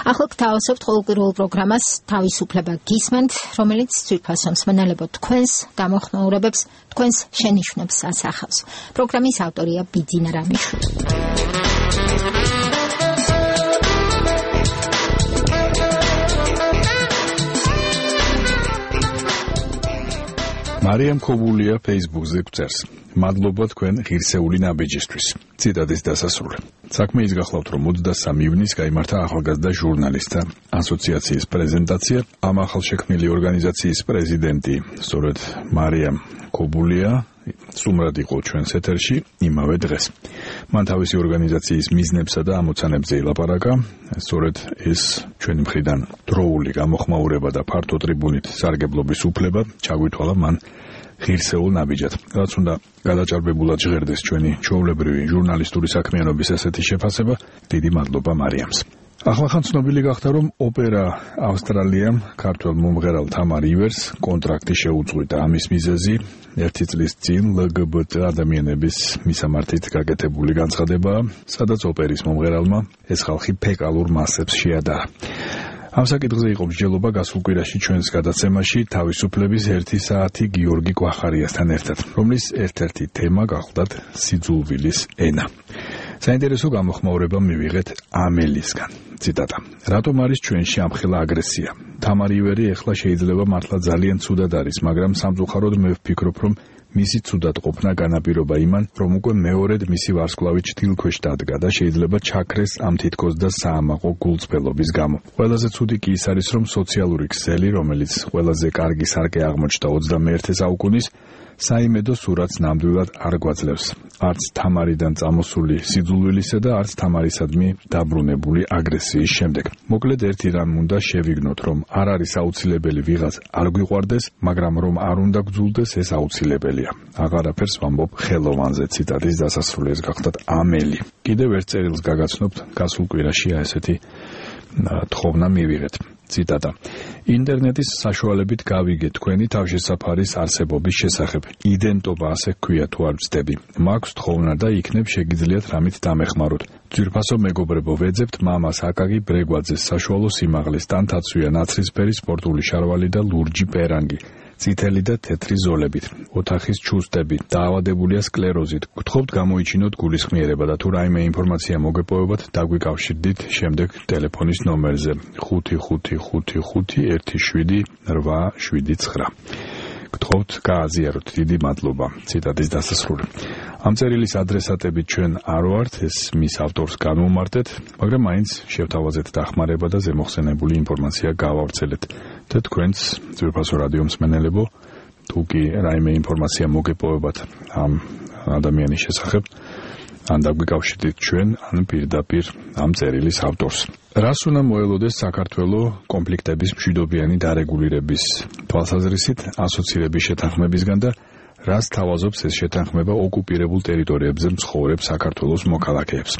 ახლა გთავაზობთ ყოველკვირეულ პროგრამას თავისუფლება გისმენთ, რომელიც ძვირფასო მსმენელებო თქვენს გამოხმაურებებს, თქვენს შენიშვნებს ასახავს. პროგრამის ავტორია ბიძინა რამიშვილი. მარიამ ქობულია Facebook-ზე გვწერს. მადლობა თქვენ ღირსეული ნაბიჯისთვის. ციტატის დასასრული. საქმე ის გახლავთ, რომ 23 ივნისს გაიმართა ახალგაზრდა ჟურნალისტთა ასოციაციის პრეზენტაცია. ამ ახალშექმნილი ორგანიზაციის პრეზიდენტი, სწორედ მარიამ ქობულია, სუმრად იყო ჩვენს ეთერში იმავე დღეს. მან თავისი ორგანიზაციის მიზნებსა და ამოცანებზე ილაპარაკა. სწორედ ეს ჩვენი მხრიდან დროული გამოხმაურება და ფართო ტრიბუნით სარგებლობის უფლება ჩაგვითვალა მან ღირსეულ ნაბიჯად. რაც უნდა გადაჭარბებულად ჟღერდეს ჩვენი ჩვეულებრივი ჟურნალისტური საქმიანობის ასეთი შეფასება, დიდი მადლობა მარიამს. ახლახან ცნობილი გახდა, რომ ოპერა ავსტრალიამ ქართველ მომღერალ თამარ ივერს კონტრაქტი შეუწყვიტა. ამის მიზეზი 1 წლის წინ LGBT ადამიანების მისამართით გაკეთებული განცხადებაა, სადაც ოპერის მომღერალმა ეს ხალხი ფეკალურ მასებს შეადარა. ამ საკითხზე იყო მსჯელობა გასულ კვირაში ჩვენს გადაცემაში თავისუფლების 1 საათი გიორგი კვახარიასთან ერთად, რომლის ერთ-ერთი თემა გახლდათ სიძულვილის ენა. საინტერესო გამოხმაურება მივიღეთ ამელისგან. ციტატა. რატომ არის ჩვენში ამხელა აგრესია? თამარ ივერი ეხლა შეიძლება მართლა ძალიან ცუდად არის, მაგრამ სამწუხაროდ მე ვფიქრობ, რომ მისი ცუდად ყოფნა განაპირობა იმან, რომ უკვე მეორედ მისი ვარსკვლავი ჩtildeქვეშ დადგა და შეიძლება ჩაქრეს ამ თითქოს და საამაყო გულწრფელობის გამო. ყველაზე ცუდი კი ის არის, რომ სოციალური ქსელი, რომელიც ყველაზე კარგი სარკე აღმოჩნდა 21 საუკუნის, საიმედო სურათს ნამდვილად არ გვაძლევს. არც თამარიდან წამოსული სიძულვილისა და არც თამარისადმი დაბრუნებული აგრესიის შემდეგ. მოკლედ ერთი რამ უნდა შევიგნოთ, რომ არ არის აუცილებელი ვიღაც არ გვიყვარდეს, მაგრამ რომ არ უნდა გძულდეს, ეს აუცილებელია. აღარაფერს ვამბობ ხელოვანზე. ციტატის დასასრული ეს გახლდათ ამელი. კიდევ ერთ წერილს გაგაცნობთ, გასულ კვირაში ესეთი თხოვნა მივიღეთ. ციტატა. ინტერნეტის საშუალებით გავიგე თქვენი თავშესაფარის არსებობის შესახებ. იდენტობა ასე ქვია თუ არ ვცდები. მაქვს თხოვნა და იქნებ შეგიძლიათ რამით დამეხმაროთ. ძვირფასო მეგობრებო, ვეძებთ მამას აკაკი ბრეგვაძეს საშუალო სიმაღლის, ტანთაცვია ნაცრისფერი სპორტული შარვალი და ლურჯი პერანგი. წითელი და თეთრი ზოლებით, ოთახის ჩუსტები, დაავადებულია სკლეროზით. გთხოვთ გამოიჩინოთ გულისხმიერება და თუ რაიმე ინფორმაცია მოგეპოვებათ, დაგვიკავშირდით შემდეგ ტელეფონის ნომერზე 5551789. გთხოვთ გააზიაროთ. დიდი მადლობა. ციტატის დასასრული. ამ წერილის ადრესატები ჩვენ არ ვართ, ეს მის ავტორს განვუმარტეთ, მაგრამ მაინც შევთავაზეთ დახმარება და ზემოხსენებული ინფორმაცია გავავრცელეთ. და თქვენს ძვირფასო რადიო მსმენელებო, თუ კი რაიმე ინფორმაცია მოგეპოვებათ ამ ადამიანის შესახებ, ან დაგვიკავშირდით ჩვენ, ან პირდაპირ ამ წერილის ავტორს. რას უნდა მოელოდეს საქართველო კონფლიქტების მშვიდობიანი დარეგულირების თვალსაზრისით ასოცირების შეთანხმებისგან და რას თავაზობს ეს შეთანხმება ოკუპირებულ ტერიტორიებზე მცხოვრებ საქართველოს მოქალაქეებს.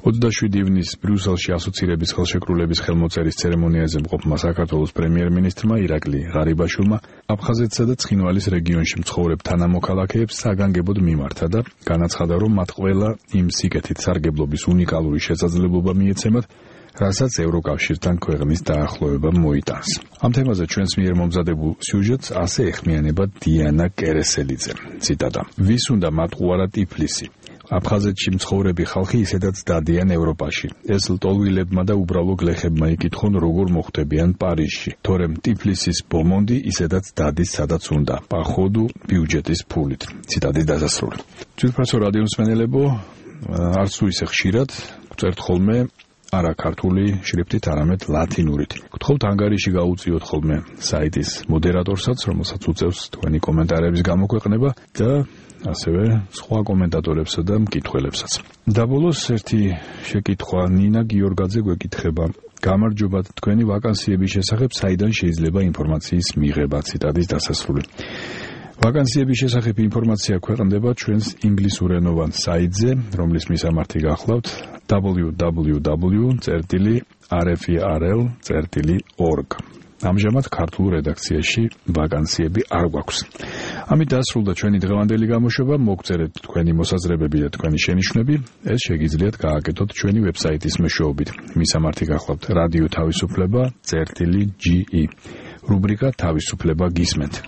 27 ივნისს ბრიუსელში ასოცირების ხელშეკრულების ხელმოწერის ცერემონიაზე მყოფმა საქართველოს პრემიერ-მინისტრმა ირაკლი ღარიბაშვილმა აფხაზეთსა და ცხინვალის რეგიონში მცხოვრებ თანამოქალაქეებს საგანგებოდ მიმართა და განაცხადა, რომ მათ ყველა იმ სიკეთით სარგებლობის უნიკალური შესაძლებლობა მიეცემათ, რასაც ევროკავშირთან ქვეყნის დაახლოება მოიტანს. ამ თემაზე ჩვენს მიერ მომზადებულ სიუჟეტს ასე ეხმიანება დიანა კერესელიძე. ციტატა. ვის უნდა მატყუარა ტიფლისი? აფხაზეთში მცხოვრები ხალხი ისედაც დადიან ევროპაში. ეს ლტოლვილებმა და უბრალო გლეხებმა იკითხონ, როგორ მოხვდებიან პარიზში. თორემ ტიფლისის ბომონდი ისედაც დადის სადაც უნდა, პახოდუ ბიუჯეტის ფულით. ციტატის დასასრული. ძვირფასო რადიო მსმენელებო, არც თუ ისე ხშირად გწერთ ხოლმე არა ქართული შრიფტით, არამედ ლათინურით. გთხოვთ ანგარიში გაუწიოთ ხოლმე საიტის მოდერატორსაც, რომელსაც უწევს თქვენი კომენტარების გამოქვეყნება და ასევე სხვა კომენტატორებსა და მკითხველებსაც. და ბოლოს ერთი შეკითხვა ნინა გიორგაძე გვეკითხება. გამარჯობა, თქვენი ვაკანსიების შესახებ საიდან შეიძლება ინფორმაციის მიღება? ციტატის დასასრული. ვაკანსიების შესახებ ინფორმაცია ქვეყნდება ჩვენს ინგლისურენოვან საიტზე, რომლის მისამართი გახლავთ www.rferl.org. ამჟამად ქართულ რედაქციაში ვაკანსიები არ გვაქვს. ამით დასრულდა ჩვენი დღევანდელი გამოშვება. მოგწერეთ თქვენი მოსაზრებები და თქვენი შენიშვნები. ეს შეგიძლიათ გააკეთოთ ჩვენი ვებსაიტის მეშვეობით. მისამართი გახლავთ რადიო თავისუფლება წერტილი GE. რუბრიკა თავისუფლება გისმენთ.